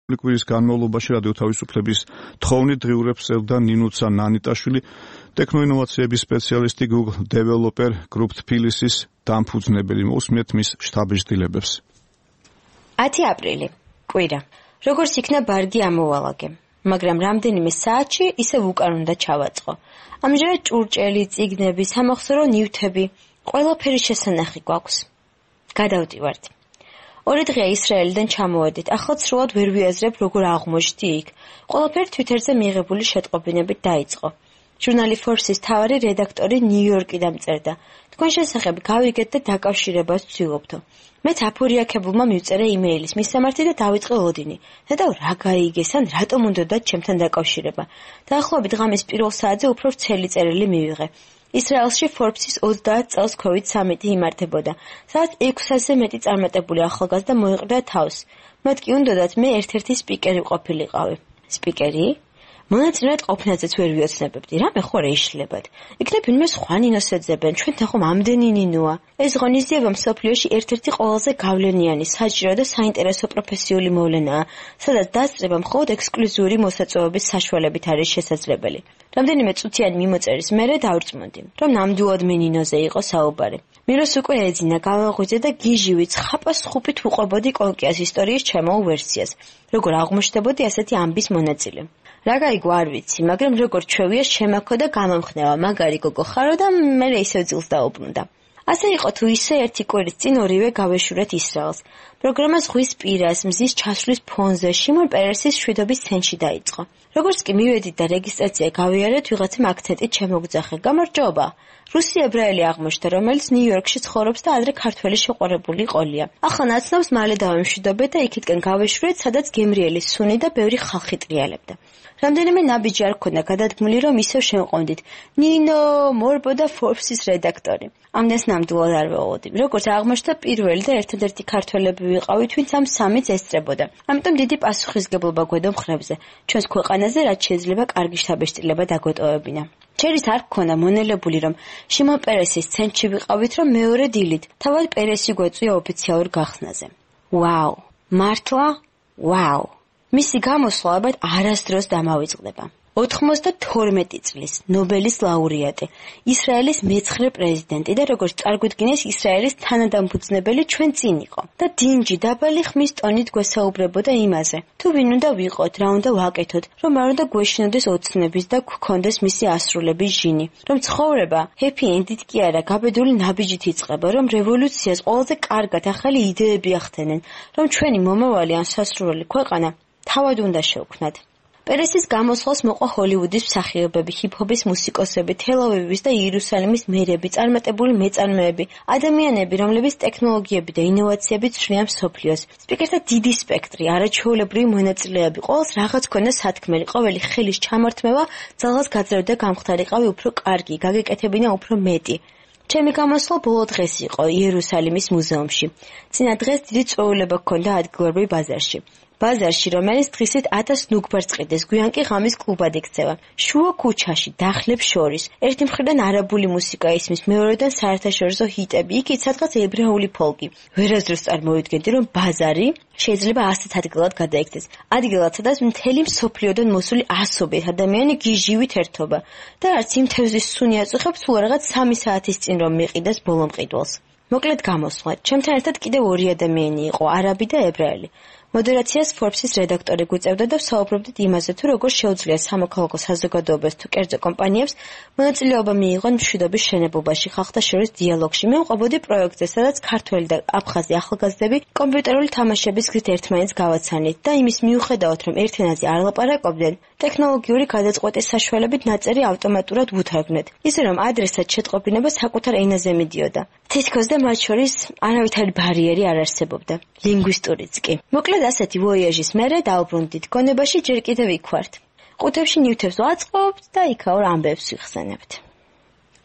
კვირის განმავლობაში რადიო თავისუფლების თხოვნით დღიურებს ელდა ნინუცა ნანიტაშვილი, ტექნოინოვაციების სპეციალისტი Google Developer Group Tbilisi-ის დამფუძნებელი. მოусმენთ მის შთაბეჭდილებებს. 10 აპრილი. კვირა. როგორც იქნა ბარგი ამოვალაგე, მაგრამ რამდენიმე საათში ისევ უკან უნდა ჩავაწყო. ამჟამად ჭურჭელი, წიგნები, სამახსოვრო ნივთები, ყველაფერი შესანახი გვაქვს. გადავდივართ. 2 დღეა ისრაელიდან ჩამოვედით. ახლა სრულად ვერ ვიაზრებ, როგორ აღმოჩნდი იქ. ყველაფერი Twitter-ზე მიიღებული შეტყობინებით დაიწყო. ჟურნალი Forbes-ის მთავარი რედაქტორი ნიუ-იორკიდან წერდა. თქვენ შესახებ გავიგეთ და დაკავშირებას ვცდილობთო. მეც აფორიაქებულმა მივწერა იმეილის მისამართი და დავიწყე ლოდინი. ნეტავ რა გაიგეს ან რატომ უნდათ ჩემთან დაკავშირება. დაახლოებით ღამის პირველ საათზე უფრო ვრცელი წერილი მივიღე. ისრაელში Forbes-ის 30 წელს COVID-19 იმართებოდა, სადაც 600-ზე მეტი წარმატებული ახალგაზრდა მოიყრდა თავს. მათ კი უნდათ მე ერთ-ერთი სპიკერი ყოფილიყავი. სპიკერი? მონაწილეად ყოფნაზეც ვერ ვიოცნებებდი, რამე ხო რა იშლებათ. იქნებ ვინმე სხვა ნინოს ეძებენ, ჩვენთან ხომ ამდენი ნინოა. ეს ღონისძიება მსოფლიოში ერთ-ერთი ყველაზე გავლენიანი, საჭირო და საინტერესო პროფესიული მოვლენაა, სადაც დასწრება მხოლოდ ექსკლუზიური მოსაწვევების საშუალებით არის შესაძლებელი. რამდენიმე წუთიანი მიმოწერის მერე დავრწმუნდი, რომ ნამდვილად მე ნინოზე იყო საუბარი. მიროს უკვე ეძინა, გავაღვიძე და გიჟივით ხაპას ხუპით უყვებოდი კოლკიას ისტორიის ჩემო ვერსიას, როგორ აღმოჩნდებოდი ასეთი ამბის მონაწილე. რა გაიგო არ ვიცი, მაგრამ როგორ ჩვევია შემაქო და გამამხნევა, მაგარი გოგო ხარო და მე ისევ ძილს დაუბრუნდა. ასე იყო თუ ისე ერთი კვირის წინ ორივე გავეშურეთ ისრაელს. პროგრამა ზღვის პირას, მზის ჩასვლის ფონზე, შიმონ პერესის შვიდობის ცენტრში დაიწყო. როგორც კი მივედით და რეგისტრაცია გავიარეთ, ვიღაცამ აქცენტით შემოგძახე. გამარჯობა. რუსი ებრაელი აღმოჩნდა, რომელიც ნიუ-იორკში ცხოვრობს და ადრე ქართველი შეყვარებული ყოლია. ახლა ნაცნობს მალე დავემშვიდობეთ და იქითკენ გავეშურეთ, სადაც გემრიელი სუნი და ბევრი ხალხი ტრიალებდა. რამდენიმე ნაბიჯი არ ქონდა გადადგმული, რომ ისევ შემოვყავდით. ნინო, მორბო და Forbes-ის რედაქტორი. ამდენს ნამდვილად არ ვეღოდი. როგორც აღმოჩნდა, პირველი და ერთადერთი ქართველები ვიყავით, ვინც ამ სამიც ესწრებოდა. ამიტომ დიდი პასუხისგებლობა გვედო მხრებზე. ჩვენს ქვეყანაზე რაც შეიძლება კარგი შთაბეჭდილება დაგვეტოვებინა. ჩერის არ გქონდა მონელებული, რომ შიმონ პერესის ცენტრში ვიყავით, რომ მეორე დილით თავად პერესი გვეწვია ოფიციალურ გახსნაზე. ვაუ, მართლა? ვაუ. მისი გამოსვლა ალბათ არასდროს დამავიწყდება. 92 წლის ნობელის ლაურეატი, ისრაელის მე-9 პრეზიდენტი და როგორც წარგვიდგინეს ისრაელის თანადამფუძნებელი ჩვენ წინ იყო და დინჯი დაბალი ხმის ტონით გვესაუბრებოდა იმაზე, თუ ვინ უნდა ვიყოთ, რა უნდა ვაკეთოთ, რომ არ უნდა გვეშინოდეს ოცნების და გვქონდეს მისი ასრულების ჟინი, რომ ცხოვრება happy end-ით კი არა, გაბედული ნაბიჯით იწყება, რომ რევოლუციას ყველაზე კარგად ახალი იდეები ახდენენ, რომ ჩვენი მომავალი ან სასურველი ქვეყანა თავად უნდა შევქმნათ. პერესის გამოსვლას მოყვა ჰოლივუდის მსახიობები, ჰიპ-ჰოპის მუსიკოსები, თელ-ავივის და იერუსალიმის მერები, წარმატებული მეწარმეები, ადამიანები, რომლებიც ტექნოლოგიები და ინოვაციებით ცვლიან მსოფლიოს. სპიკერთა დიდი სპექტრი, არაჩვეულებრივი მონაწილეები, ყოველს რაღაც ქონდა სათქმელი, ყოველი ხელის ჩამართმევა ძალას გაძლევდა და გამხდარიყავი უფრო კარგი, გაგეკეთებინა უფრო მეტი. ჩემი გამოსვლა ბოლო დღეს იყო იერუსალიმის მუზეუმში. წინა დღეს დიდი წვეულება ჰქონდა ადგილობრივ ბაზარში. ბაზარში, რომელიც დღისით 1000 ნუგბარს ყიდეს, გვიან კი ღამის კლუბად იქცევა. შუა ქუჩაში, დახლებს შორის, ერთი მხრიდან არაბული მუსიკა ისმის, მეორედან საერთაშორისო ჰიტები, იქით სადღაც ებრაული ფოლკი. ვერასდროს წარმოვიდგენდი, რომ ბაზარი შეიძლება ასეთ ადგილად გადაიქცეს. ადგილად, სადაც მთელი მსოფლიოდან მოსული ასობით ადამიანი გიჟივით ერთობა და არც იმ თევზის სუნი აწუხებს, თუ რაღაც 3 საათის წინ რომ მიყიდეს ბოლო მყიდველს. მოკლედ გამოსვლა. ჩემთან ერთად კიდევ 2 ადამიანი იყო, არაბი და ებრაელი. მოდერაციას Forbes-ის რედაქტორი გვიწევდა და ვსაუბრობდით იმაზე, თუ როგორ შეუძლია სამოქალაქო საზოგადოებას თუ კერძო კომპანიებს მონაწილეობა მიიღონ მშვიდობის შენებობაში, ხალხთა შორის დიალოგში. მე ვყვებოდი პროექტზე, სადაც ქართველი და აფხაზი ახალგაზრდები კომპიუტერული თამაშების გზით ერთმანეთს გავაცანით და იმის მიუხედავად, რომ ერთ ენაზე არ ლაპარაკობდნენ, ტექნოლოგიური გადაწყვეტის საშუალებით ნაწერი ავტომატურად უთარგმნეთ, ისე რომ ადრესად შეტყობინება საკუთარ ენაზე მიდიოდა. თითქოს და მათ შორის არავითარი ბარიერი არ არსებობდა, ლინგვისტურიც კი. მოკლედ ასეთი ვოიაჟის მერე დავბრუნდით გონებაში, ჯერ კიდევ იქ ვართ. ყუთებში ნივთებს ვაწყობთ და იქაურ ამბებს ვიხსენებთ.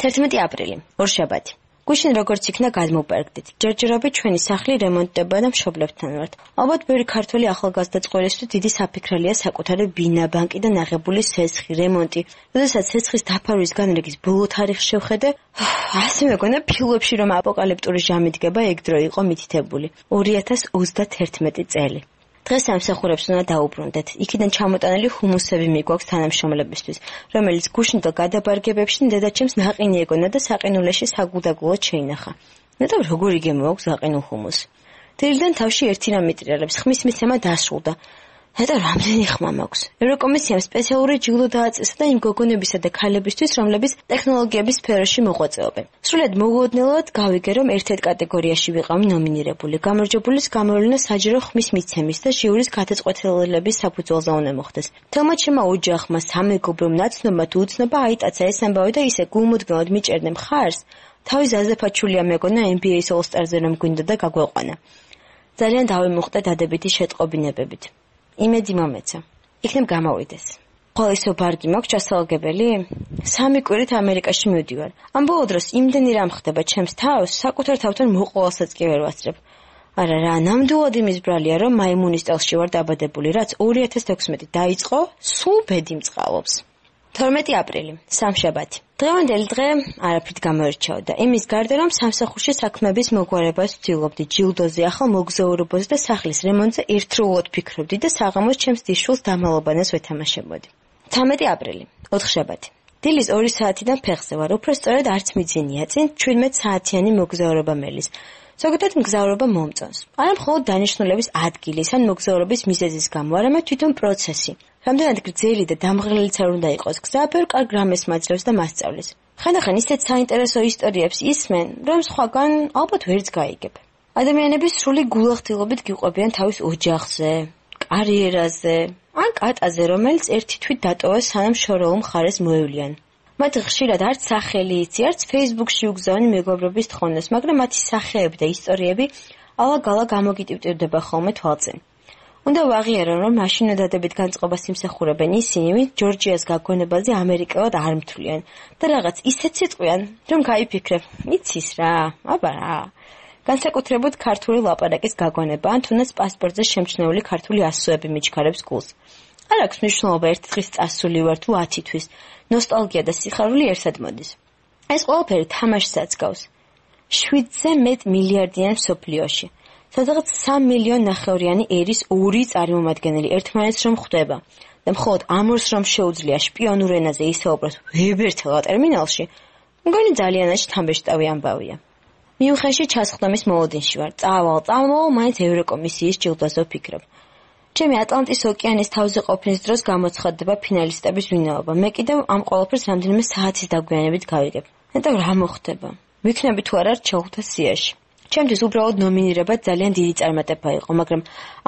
11 აპრილი, ორშაბათი. გუშინ როგორც იქნა გადმოვპარგდით. ჯერჯერობით ჩვენი სახლი რემონტდება და მშობლებთან ვართ. ალბათ ბევრი ქართველი ახალგაზრდა წყვილისთვის დიდი საფიქრელია საკუთარი ბინა, ბანკი და ნაღებული სესხი, რემონტი. როდესაც სესხის დაფარვის განრიგის ბოლო თარიღს შევხედე, ასე მეგონა ფილმებში რომ აპოკალიპტური ჟამი დგება, ეგ დრო იყო მითითებული. 2031 წელი. დღეს სამსახურებს უნდა დაუბრუნდეთ. იქიდან ჩამოტანილი ჰუმუსები მიგვაქვს თანამშრომლებისთვის, რომელიც გუშინდელ გადაბარგებებში დედაჩემს ნაყინი ეგონა და საყინულეში საგულდაგულოდ შეინახა. ნეტავ როგორი გემოაქვს გაყინულ ჰუმუსს. დილიდან თავში ერთი რამ მიტრიალებს, ხმის მიცემა დასრულდა. ნეტავ რამდენი ხმა მაქვს. ევროკომისიამ სპეციალური ჯილდო დააწესა და იმ გოგონებისა და ქალებისთვის, რომლებიც ტექნოლოგიების სფეროში მოღვაწეობენ. სრულად მოულოდნელად გავიგე, რომ ერთ-ერთ კატეგორიაში ვიყავი ნომინირებული. გამარჯვებულის გამოვლენა საჯარო ხმის მიცემის და ჟიურის გადაწყვეტილების საფუძველზე უნდა მოხდეს. თელმა ჩემმა ოჯახმა, სამეგობრომ, ნაცნობმა თუ უცნობა აიტაცა ეს ამბავი და ისე გულმოდგინედ მიჭერდნენ მხარს, თავი ზაზაფაჩულია მეგონა NBA-ის All-Star-ზე რომ გვინდა და გაგვეყვანა. ძალიან დავიმუხტე დადებითი შეტყობინებებით. იმედი მომეცა. იქნებ გამოვიდეს. ყოველისო ბარგი მაქვს ჩასალაგებელი? 3 კვირით ამერიკაში მივდივარ. ამ ბოლო დროს იმდენი რამ ხდება ჩემს თავს, საკუთარ თავთან მოყოლასაც კი ვერ ვასწრებ. არა რა, ნამდვილად იმის ბრალია, რომ მაიმუნის წელში ვარ დაბადებული, რაც 2016 დაიწყო, სულ ბედი მწყალობს. 12 აპრილი, სამშაბათი. დღევანდელი დღე არაფრით გამოირჩეოდა. იმის გარდა, რომ სამსახურში საქმეების მოგვარებას ვცდილობდი, ჯილდოზე, ახალ მოგზაურობაზე და სახლის რემონტზე ერთდროულად ფიქრობდი და საღამოს ჩემს დიშვილს დამალობანას ვეთამაშებოდი. 13 აპრილი, ოთხშაბათი. დილის 2 საათიდან ფეხზე ვარ, უფრო სწორედ არც მიძინია, წინ 17 საათიანი მოგზაურობა მელის. ზოგადად მგზავრობა მომწონს. არა მხოლოდ დანიშნულების ადგილის ან მოგზაურობის მიზეზის გამო, არამედ თვითონ პროცესი. რამდენად გრძელი და დამღრელიც არ უნდა იყოს გზა, ბევრ კარგ რამეს მაძლევს და მასწავლის. ხანდახან ისეთ საინტერესო ისტორიებს ისმენ, რომ სხვაგან ალბათ ვერც გაიგებ. ადამიანები სრული გულახდილობით გიყვებიან თავის ოჯახზე, კარიერაზე, ან კატაზე, რომელიც ერთი თვით დატოვეს, სანამ შორეულ მხარეს მოევლიან. მათ ხშირად არც სახელი იცი, არც Facebook-ში უგზავნი მეგობრობის თხოვნას, მაგრამ მათი სახეები და ისტორიები ალა-გალა გამოგიტივტივდება ხოლმე თვალწინ. უნდა ვაღიარო, რომ მაშინ დადებით განწყობას იმსახურებენ ისინი, ვინც ჯორჯიას გაგონებაზე ამერიკელად არ მთვლიან და რაღაც ისეთ სიტყვიან, რომ გაიფიქრებ, იცის რა, აბა რა. განსაკუთრებით ქართული ლაპარაკის გაგონება, ან თუნდაც პასპორტზე შემჩნეული ქართული ასოები მიჩქარებს გულს. არ აქვს მნიშვნელობა ერთი დღის წასული ვარ თუ 10 თვის. ნოსტალგია და სიხარული ერთად მოდის. ეს ყველაფერი თამაშსაც გავს. 7-ზე მეტ მილიარდიან მსოფლიოში. სადღაც 3 მილიონ ნახევრიანი ერის 2 წარმომადგენელი ერთმანეთს რომ ხვდება და მხოლოდ ამორს რომ შეუძლია შპიონურ ენაზე ისაუბროს ვებერთელა ტერმინალში, მგონი ძალიანაც თამბეშტავი ამბავია. მიუხედავად ჩასხდომის მოლოდინში ვარ, წავალ, მაინც ევროკომისიის ჯილდოზე ვფიქრობ. ჩემი ატლანტის ოკეანის თავზე ყოფნის დროს გამოცხადდება ფინალისტების ვინაობა. მე კიდევ ამ ყველაფერს რამდენიმე საათის დაგვიანებით გავიგებ. ნეტავ რა მოხდება? ვიქნები თუ არა რჩეულთა სიაში. ჩემთვის უბრალოდ ნომინირება ძალიან დიდი წარმატება იყო, მაგრამ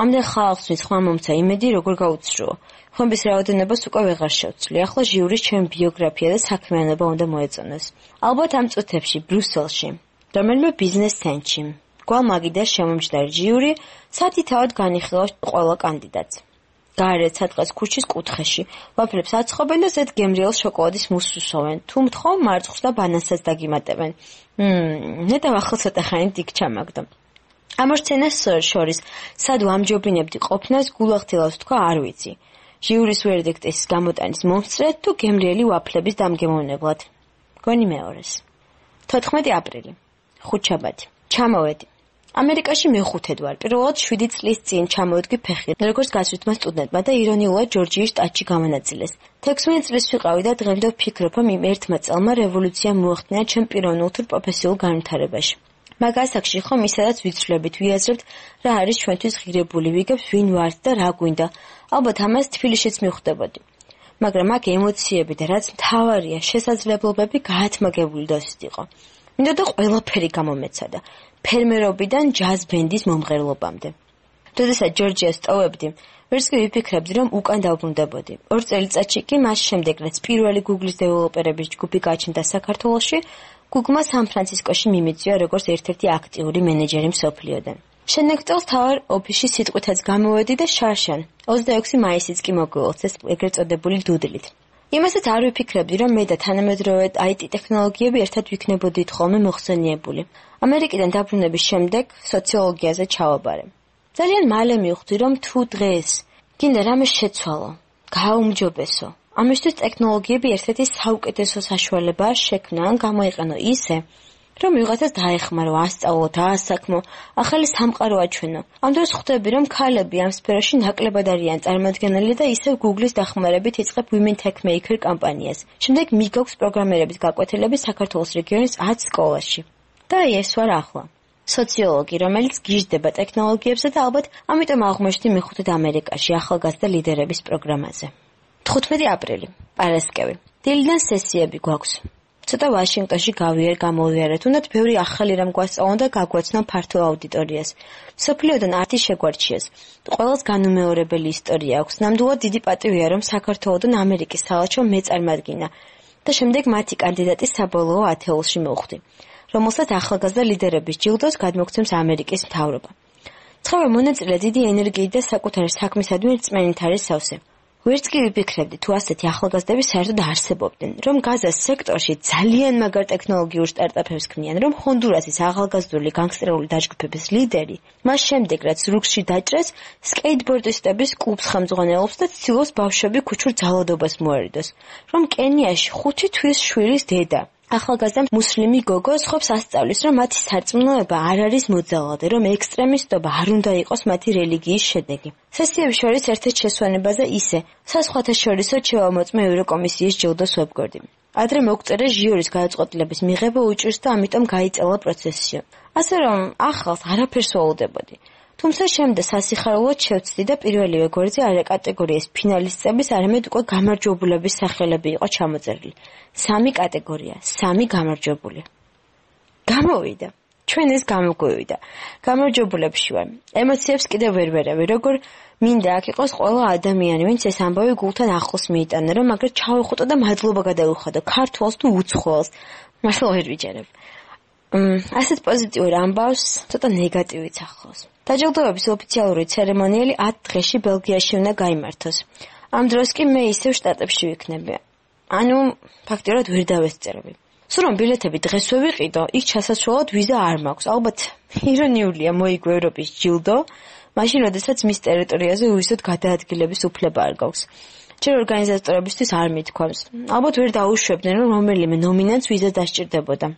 ამდენ ხალხს ვინც ხმა მომცა იმედი როგორ გაუცრუო. ხმების რაოდენობას უკვე ვეღარ შევცვლი. ახლა ჟიურის ჩემი ბიოგრაფია და საქმიანობა უნდა მოეწონოს. ალბათ ამ წუთებში ბრიუსელში, რომელიმე ბიზნეს ცენტრში, გვალმაგიდას შემომჯდარი ჟიური სათითაოდ განიხილავს ყველა კანდიდატს. გარეთ სადღაც ქუჩის კუთხეში, ვაფრებს აცხობენ და ზედ გემრიელ შოკოლადის მუსს უსოვენ. თუ მთხოვ მარწყვს და ბანანსაც დაგიმატებენ. ნეტავ ახლა ცოტა ხანი დიქ ჩამაგდო. ამ სცენას შორის სად ვამჯობინებდი ყოფნას გულახდილავს თქვა არ ვიცი. ჟიურის ვერდიქტის გამოტანის მომსწრედ თუ გემრიელი ვაფლების დამგემოვნებლად. გონი მეორეს. 14 აპრილი. ხუთშაბათი. ჩამოვედი. ამერიკაში მეხუთედ ვარ. პირველად 7 წლის წინ ჩამოვედი ფეხი, როგორც გასვლითმა სტუდენტმა და ირონიულად ჯორჯიის შტატში გამონაწილეს. 16 წლის ვიყავი და დღემდე ვფიქრობ, რომ იმ ერთმა წელმა რევოლუცია მოახდინა ჩემ პიროვნულ თუ პროფესიულ განვითარებაში. მაგ ასაკში ხომ ისედაც ვიცვლებით, ვიაზრებთ რა არის ჩვენთვის ღირებული, ვიგებთ ვინ ვართ და რა გვინდა. ალბათ ამას თბილისშიც მივხვდებოდი. მაგრამ აქ ემოციები და რაც მთავარია, შესაძლებლობები გაათმაგებული დოსით იყო. მინდოდა ყველაფერი გამომეცადა. ფერმერობიდან ჯაზ ბენდის მომღერლობამდე. როდესაც ჯორჯიას ტოვებდი, ვერც კი ვიფიქრებდი, რომ უკან დავბრუნდებოდი. 2 წელიწადში კი მას შემდეგ, რაც პირველი Google-ის დეველოპერების ჯგუფი გაჩნდა საქართველოში, Google-მა სან-ფრანცისკოში მიმიწვია როგორც ერთ-ერთი აქტიური მენეჯერი მსოფლიოდან. შემდეგ წელს თავარ ოფისში სიტყვითაც გამოვედი და შარშან 26 მაისიც კი მოგულოცეს ეგრეთ წოდებული დუდლით. იმასაც არ ვიფიქრებდი, რომ მე და თანამედროვე IT ტექნოლოგიები ერთად ვიქნებოდით ხოლმე მოხსენიებული. ამერიკიდან დაბრუნების შემდეგ სოციოლოგიაზე ჩავაბარე. ძალიან მალე მივხვდი, რომ თუ დღეს გინდა რამე შეცვალო, გააუმჯობესო, ამისთვის ტექნოლოგიები ერთ-ერთი საუკეთესო საშუალებაა შექმნა ან გამოიყენო ისე, რომ ვიღაცას დაეხმარო, ასწავლო, დაასაქმო, ახალი სამყარო აჩვენო. ამ დროს ხვდები, რომ ქალები ამ სფეროში ნაკლებად არიან წარმოადგენელი და ისევ Google-ის დახმარებით იწყებ Women Tech Maker კამპანიას. შემდეგ მიგაქვს პროგრამერების გაკვეთილები საქართველოს რეგიონის 10 სკოლაში. და ეს ვარ ახლა. სოციოლოგი, რომელიც გიჟდება ტექნოლოგიებზე და ალბათ ამიტომ აღმოჩნდი მეხუთედ ამერიკაში ახალგაზრდა ლიდერების პროგრამაზე. 15 აპრილი, პარასკევი. დილიდან სესიები გვაქვს. ცოტა ვაშინგტონში გამოვიარეთ, უნდათ ბევრი ახალი რამ გვასწავლონ და გაგვაცნონ ფართო აუდიტორიას. სოფლიოდან არტი შეგვარჩიეს. ყველას განუმეორებელი ისტორია აქვს. ნამდვილად დიდი პატივია, რომ საქართველოდან ამერიკის საელჩო მეწარმადგინა და შემდეგ მათი კანდიდატი საბოლოო ათეულში მოვხვდი, რომელსაც ახალგაზრდა ლიდერების ჯილდოს გადმოგცემს ამერიკის მთავრობა. ცხოველ მონაწილე დიდი ენერგიით და საკუთარი საქმისადმი რწმენით არის სავსე. ვერც კი ვიფიქრებდი, თუ ასეთი ახალგაზრდები საერთოდ არსებობდნენ, რომ გაზას სექტორში ძალიან მაგარ ტექნოლოგიურ სტარტაპებს ქმნიან, რომ ჰონდურასის ახალგაზრდული განგსტერული დაჯგუფების ლიდერი, მას შემდეგ რაც რუქსში დაჭრეს, სკეიტბორდისტების კლუბს ხელმძღვანელობს და ცდილობს ბავშვები ქუჩურ ძალადობას მოერიდოს, რომ კენიაში 5 თვის შვილის დედა ახალგაზრდა მუსლიმი გოგო სხვებს ასწავლის, რომ მათი სარწმუნოება არ არის მოძალადე, რომ ექსტრემისტობა არ უნდა იყოს მათი რელიგიის შედეგი. სესიების შორის ერთ-ერთ შესვენებაზე ისე, საზღვათა შორისო ჩევამოწმე ევროკომისიის ჯილდოს ვებგვერდი. ადრე მოგწერე ჟიურის გადაწყვეტილების მიღება უჭირს და ამიტომ გაიწელა პროცესია. ასე რომ ახალს არაფერს ვალდებოდი. თუმცა შემდეგ სასიხარულოდ შევცდი და პირველივე გვერდზე არა კატეგორიის ფინალისტების, არამედ უკვე გამარჯვებულების სახელები იყო ჩამოწერილი. 3 კატეგორია, 3 გამარჯვებული. გამოვიდა. ჩვენ ეს გამოგვივიდა. გამარჯვებულებში ვარ. ემოციებს კიდევ ვერ ვერავი, როგორ მინდა აქ იყოს ყველა ადამიანი, ვინც ეს ამბავი გულთან ახლოს მიიტანა, რომ მაგრამ ჩავეხუტო და მადლობა გადავიხადო ქართველს თუ უცხოელს. მართლა ვერ ვიჯერებ. ასეთ პოზიტიურ ამბავს ცოტა ნეგატივიც ახლავს. დაჯილდოების ოფიციალური ცერემონიალი 10 დღეში ბელგიაში უნდა გაიმართოს. ამ დროს კი მე ისევ შტატებში ვიქნები. ანუ ფაქტიურად ვერ დავესწრები. სულ რომ ბილეთები დღეს ვიყიდო, იქ ჩასასვლელად ვიზა არ მაქვს. ალბათ ირონიულია მოიგო ევროპის ჯილდო, მაშინ როდესაც მის ტერიტორიაზე უისოდ გადაადგილების უფლება არ გაქვს. ჯერ ორგანიზატორებისთვის არ მithქვამს. ალბათ ვერ დაუშვებდნენ, რომ რომელიმე ნომინანტს ვიზა დასჭირდებოდა.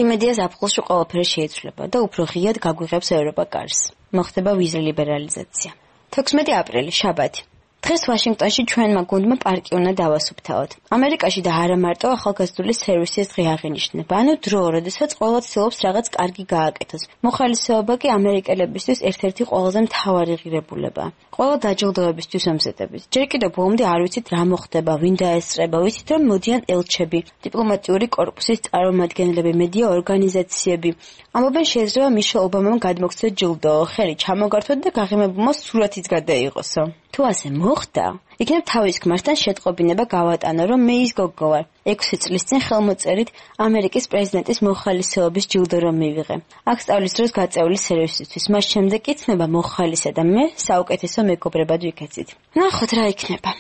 იმედია ზაფხულში ყველაფერი შეიცვლება და უფრო ღიად გაგვიღებს ევროპა კარს. მოხდება ვიზა ლიბერალიზაცია. 16 აპრილი, შაბათი. დღეს ვაშინგტონში ჩვენმა გუნდმა პარკი უნდა დავასუფთავოთ. ამერიკაში და არა მარტო ახალგაზრდული სერვისის დღე აღინიშნება, ანუ დრო, როდესაც ყველა ცდილობს რაღაც კარგი გააკეთოს. მოხალისეობა კი ამერიკელებისთვის ერთ-ერთი ყველაზე მთავარი ღირებულებაა. ყველა დაჯილდოებისთვის ამზადებით. ჯერ კიდევ ბოლომდე არ ვიცით რა მოხდება, ვინ დაესწრება, ვიცით რომ მოდიან ელჩები, დიპლომატიური კორპუსის წარმომადგენლები, მედია ორგანიზაციები. ამობენ შეიძლება მიშელ ობამამ გადმოგცეთ ჯილდო, ხელი ჩამოგართოთ და გაღიმებულმა სურათიც გადაიღოსო. თუ ასე მოხდა, იქნებ თავის ქმართან შეტყობინება გავატანო, რომ მე ის გოგო ვარ. 6 წლის წინ ხელმოწერით ამერიკის პრეზიდენტის მოხალისეობის ჯილდო რომ მივიღე. აქ სწავლის დროს გაწეული სერვისისთვის, მას შემდეგ კი ცნება მოხალისე და მე საუკეთესო მეგობრებად ვიქეცით. ნახოთ რა იქნება.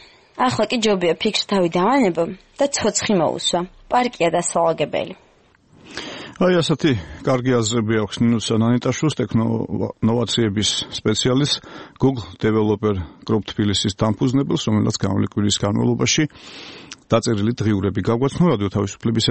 ახლა კი ჯობია ფიქრს თავი დავანებო და ცოცხი მოусვა. პარკია დასალაგებელი. აი ასეთი კარგი აზრები აქვს ნინუცა ნანიტაშვილს, ტექნოვაციების სპეციალისტს, Google Developer Group თბილისის დამფუძნებელს, რომელსაც გამოვლენილი კვირის განმავლობაში დაწერილი დღიურები გაგვაცნო რადიო თავისუფლების